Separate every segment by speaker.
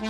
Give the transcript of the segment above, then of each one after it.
Speaker 1: Kale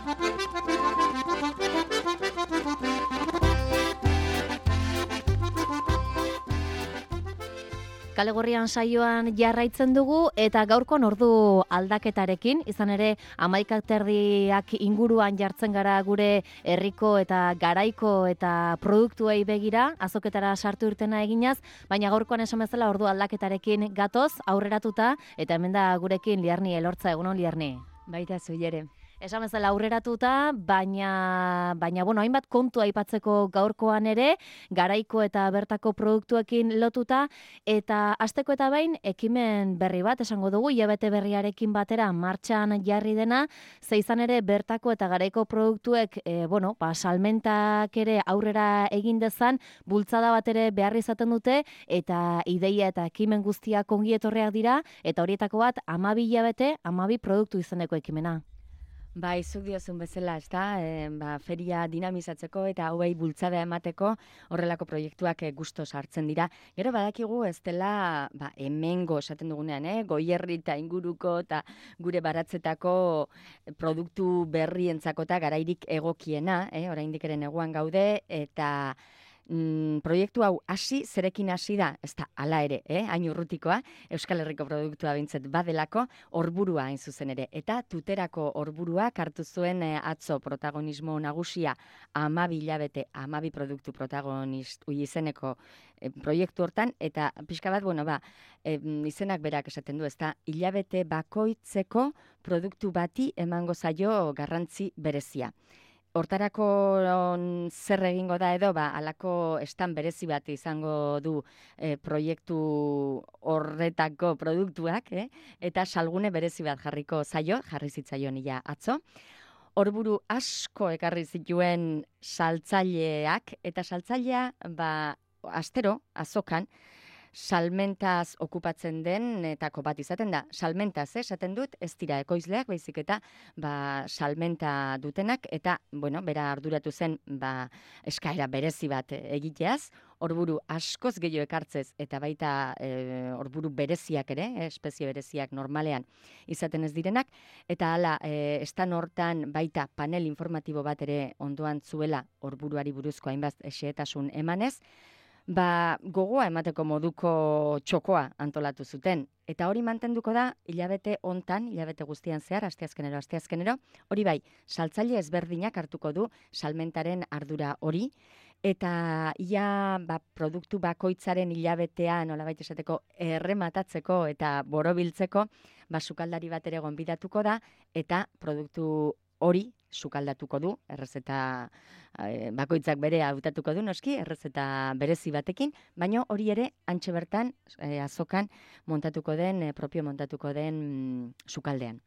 Speaker 1: Gorrian saioan jarraitzen dugu eta gaurkoan ordu aldaketarekin, izan ere 11:30 inguruan jartzen gara gure herriko eta garaiko eta produktuei begira, azoketara sartu irtena eginaz, baina gaurkoan esan bezala ordu aldaketarekin gatoz, aurreratuta, eta hemen da gurekin Liarni Elortza, egunon Liarni.
Speaker 2: Baita zuiere.
Speaker 1: Esan bezala aurreratuta, baina bueno, hainbat kontu aipatzeko gaurkoan ere, garaiko eta bertako produktuekin lotuta, eta hasteko eta behin ekimen berri bat esango dugu, hilabete berriarekin batera martxan jarri dena, ze izan ere bertako eta garaiko produktuek, salmentak ere aurrera egin dezan, bultzada bat ere behar izaten dute, eta ideia eta ekimen guztiak ongi etorriak dira, eta horietako bat 12 hilabete, 12 produktu izeneko ekimena.
Speaker 2: Bai, zuk diozun bezala, ezta, feria dinamizatzeko eta hauei bultzada emateko horrelako proiektuak gustoz hartzen dira. Gero badakigu ez dela hemengo esaten dugunean, Goierri eta inguruko eta gure baratzetako produktu berrientzako eta garairik egokiena, oraindik ere neguan gaude, eta proiektu hau zerekin hasi da, ez da, hala ere, hain urrutikoa, Euskal Herriko produktua bintzat badelako, orburua hain zuzen ere. Eta tuterako orburua hartu zuen atzo protagonismo nagusia 12 hilabete, 12 produktu protagonist izeneko proiektu hortan, eta pixka bat, izenak berak esaten du, ez da, hilabete bakoitzeko produktu bati emango zaio garrantzi berezia. Hortarako zer egingo da edo, halako estan berezi bat izango du proiektu horretako produktuak, eta salgune berezi bat jarri zitzaion ia atzo. Horburu asko ekarri zituen saltzaileak, eta saltzailea, astero, azokan, salmentaz okupatzen den etako bat izaten da. Salmentaz, esaten dut, ez dira ekoizleak, baizik eta salmenta dutenak, eta, bera arduratu zen eskaera berezi bat egiteaz, horburu askoz gehiago ekartzez, eta baita horburu bereziak ere, espezie bereziak normalean izaten ez direnak, eta hala, estan hortan baita panel informatibo bat ere ondoan zuela horburuari buruzko hainbat xehetasun emanez, gogoa emateko moduko txokoa antolatu zuten. Eta hori mantenduko da hilabete hontan, hilabete guztian zehar, asteazkenero, hori bai, saltzaile ezberdinak hartuko du salmentaren ardura hori, eta ia produktu bakoitzaren hilabetea nolabait esateko errematatzeko eta borobiltzeko, sukaldari bat ere gonbidatuko da, eta produktu hori sukaldatuko du, errezeta bakoitzak bere hautatuko du, noski, errezeta berezi batekin, baina hori ere antxe bertan azokan propio montatuko den sukaldean.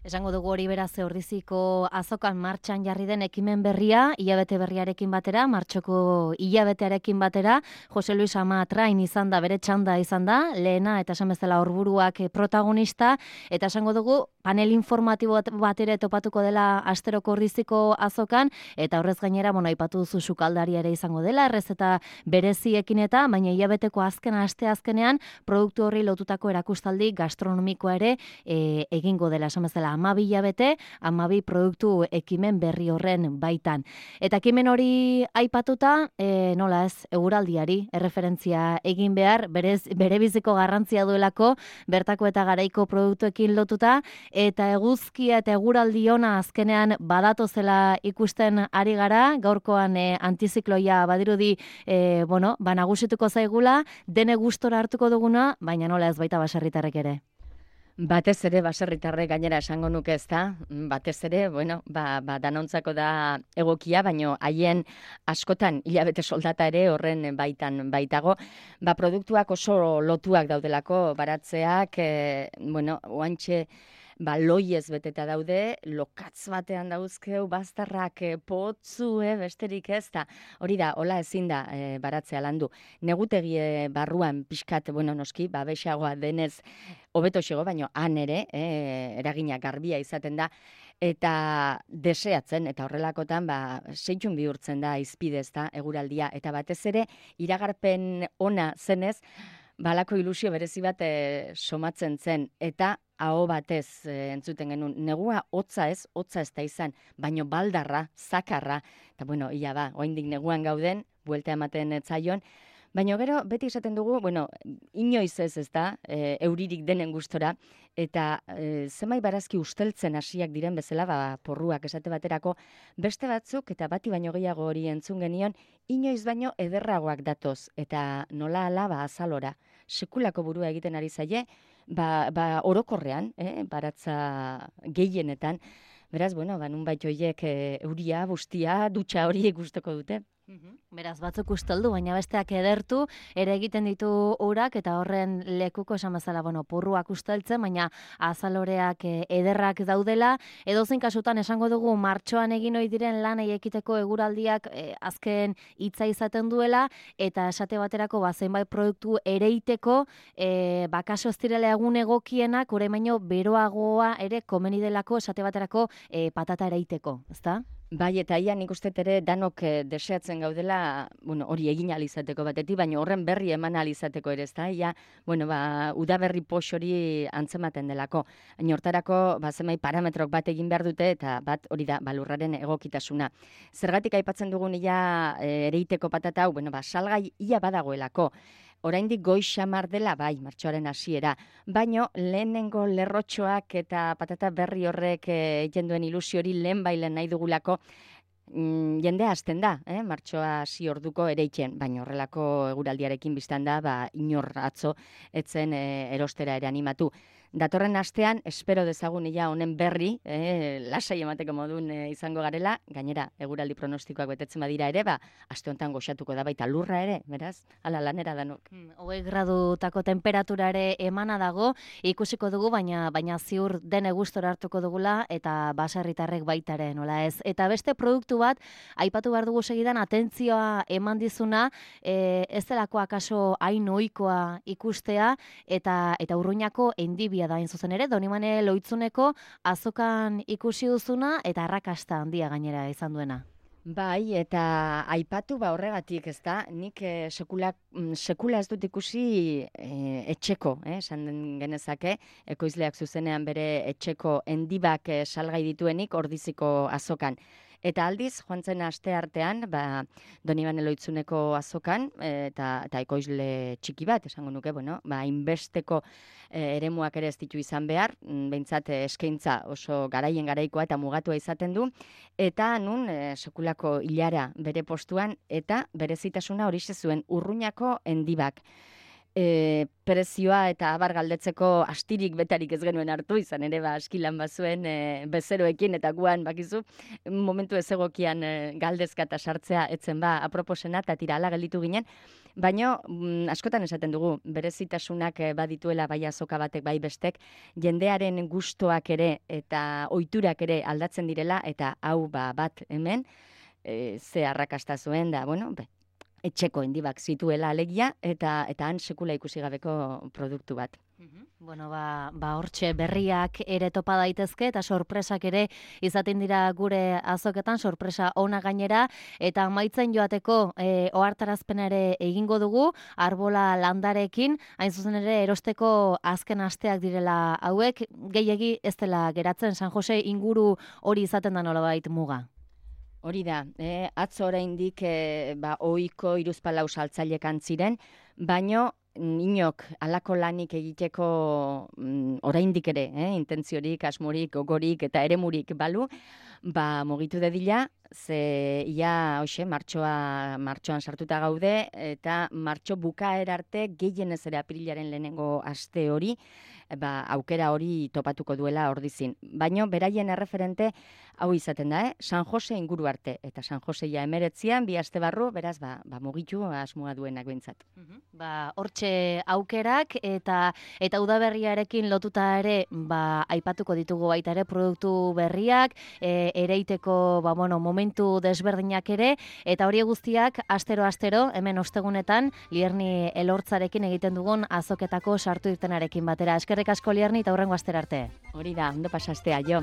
Speaker 1: Esango dugu hori beraz ordiziko azokan martxan jarri den ekimen berria, hilabete berriarekin batera, martxoko hilabetearekin batera, Jose Luis Amatrain izan da, bere txanda izan da, lehena eta esan bezala horburuak protagonista, eta esango dugu panel informatibo bat ere topatuko dela asteroko ordiziko azokan, eta horrez gainera, aipatu duzu sukaldari ere izango dela, errezeta bereziekin eta, baina hilabeteko asteazkenean, produktu horri lotutako erakustaldi gastronomikoa ere egingo dela, esan bezala 12 hilabete, 12 produktu ekimen berri horren baitan. Eta ekimen hori aipatuta, nola ez, eguraldiari erreferentzia egin behar, bere biziko garrantzia duelako, bertako eta garaiko produktuekin lotuta, eta eguzkia eta eguraldi ona azkenean badatozela ikusten ari gara, gaurkoan antizikloia badirudi, nagusituko zaigula, dene gustora hartuko duguna, baina nola ez baita baserritarrek ere.
Speaker 2: Batez ere, baserritarrek gainera esango nuke ez da, batez ere, danontzako da egokia, baino haien askotan hilabete soldata ere horren baitan baitago. Produktuak oso lotuak daudelako baratzeak, oantxe, loiez beteta daude, lokatz batean dauzkeu, bazterrak potzu, besterik ez da. Hori da, hola ezin da baratzea landu. Negutegi barruan pixkat, noski, bexagoa denez, hobeto xego, baino han ere, eragina garbia izaten da, eta deseatzen, eta horrelakotan, seitxun bihurtzen da izpidez da, eguraldia, eta batez ere, iragarpen ona zenez, balako ilusio berezi bat somatzen zen, eta aho batez entzuten genuen. Negua hotza ez da izan, baino baldarra, zakarra, eta bueno, ia ba, oraindik neguan gauden, buelta ematen zaion, baina gero, beti esaten dugu, bueno, inoiz ez da, euririk denen gustora, eta zenbait barazki usteltzen hasiak diren bezala, porruak esate baterako, beste batzuk, eta bati baino gehiago hori entzun genion, inoiz baino ederragoak datoz, eta nola ala azalora, sekulako burua egiten ari zaie, orokorrean, baratza gehienetan, beraz, bueno, nunbait horiek euria, bustia, dutxa hori gustoko dute.
Speaker 1: Beraz, batzuk usteldu, baina besteak edertu, ere egiten ditu urak, eta horren lekuko esan bezala, porruak usteltzen, baina azaloreak ederrak daudela, edozein kasutan esango dugu martxoan egin ohi diren lanei ekiteko eguraldiak azken hitza izaten duela, eta esate baterako zenbait produktu ereiteko, kaso ez direla egun egokienak, orain baino beroagoa ere komeni delako esate baterako patata ereiteko, ezta?
Speaker 2: Bai, eta ia nik uste ere danok deseatzen gaudela, hori egin alizateko batetik, baina horren berri eman alizateko ere, ezta? Ia, udaberri pox hori antzematen delako. Baina hortarako, zenbait parametrok bat egin behar dute, eta bat hori da, lurraren egokitasuna. Zergatik aipatzen dugun ia ereiteko patata hau, salgai ia badagoelako. Oraindik goiz xamar dela, bai, martxoaren hasiera, baino lehenengo lerrotxoak eta patata berri horrek egiten duen ilusio hori lehen nahi dugulako, jendea hasten da, martxoa hasi orduko ereitzen, baina horrelako eguraldiarekin biztan da, inor atzo etzen erostera ere animatu. Datorren astean, espero dezagun ia honen berri, lasai emateko modun izango garela, gainera, eguraldi pronostikoak betetzen badira ere, aste honetan goxatuko da baita lurra ere, beraz, ala lanera danok.
Speaker 1: 20 gradutako temperatura ere emana dago, ikusiko dugu, baina ziur dene gustora hartuko dugula, eta baserritarrek baita ere, nola ez. Eta beste produktu bat, aipatu behar dugu segidan, atentzioa eman dizuna, ez delako akaso hain ohikoa ikustea, eta Urruñako endibia da zuzen ere, Donibane Lohitzuneko azokan ikusi duzuna eta arrakasta handia gainera izan duena.
Speaker 2: Bai, eta aipatu horregatik, ez da, nik sekula ez dut ikusi etxeko, esan genezake, ekoizleak zuzenean bere etxeko endibak salgai dituenik Ordiziko azokan. Eta aldiz, joan zen aste artean, Donibane Lohitzuneko azokan, eta ekoizle txiki bat, esango nuke, hainbesteko eremuak ere ez ditu izan behar, behintzat eskaintza oso garaikoa eta mugatua izaten du, eta nun sekulako hilara bere postuan, eta berezitasuna horixe zuen Urruñako endibak. Prezioa eta abar galdetzeko astirik betarik ez genuen hartu, izan ere askilan bazuen bezeroekin eta guan bakizu, momentu ez egokian galdezka eta sartzea etzen aproposena eta tira ala gelditu ginen, baina askotan esaten dugu, berezitasunak badituela bai azoka batek bai bestek, jendearen gustoak ere eta ohiturak ere aldatzen direla, eta hau bat hemen, ze arrakasta zuen da, etxeko endibak zituela alegia, eta han sekula ikusi gabeko produktu bat.
Speaker 1: Hortxe berriak ere topa daitezke, eta sorpresak ere izaten dira gure azoketan, sorpresa ona gainera, eta amaitzen joateko ohartarazpena ere egingo dugu, arbola landarekin, hain zuzen ere erosteko azken asteak direla hauek, gehiegi ez dela geratzen San Jose inguru hori izaten da nolabait muga.
Speaker 2: Hori da, atzo oraindik ohiko 34 saltzailek ziren, baino inok halako lanik egiteko oraindik ere, intentziorik, asmorik, gogorik eta eremurik balu, mugitu dedila, ze ia martxoan sartuta gaude, eta martxo bukaera arte gehienez ere apirilaren lehenengo aste hori, aukera hori topatuko duela Ordizin. Baina beraien erreferente hau izaten da, San Jose inguru arte, eta San Jose ja 19an, 2 aste barru, beraz, mugitu asmoa duenak behintzat.
Speaker 1: Hortxe aukerak, eta udaberriarekin lotuta ere, aipatuko ditugu baita ere produktu berriak, ereiteko, momentu desberdinak ere, eta hori guztiak, astero, hemen ostegunetan, Lierni Elortzarekin egiten dugun azoketako sartu irtenarekin batera. Eskerrik asko Lierni, eta hurrengo astera arte.
Speaker 2: Hori da, ondo pasastea, jo.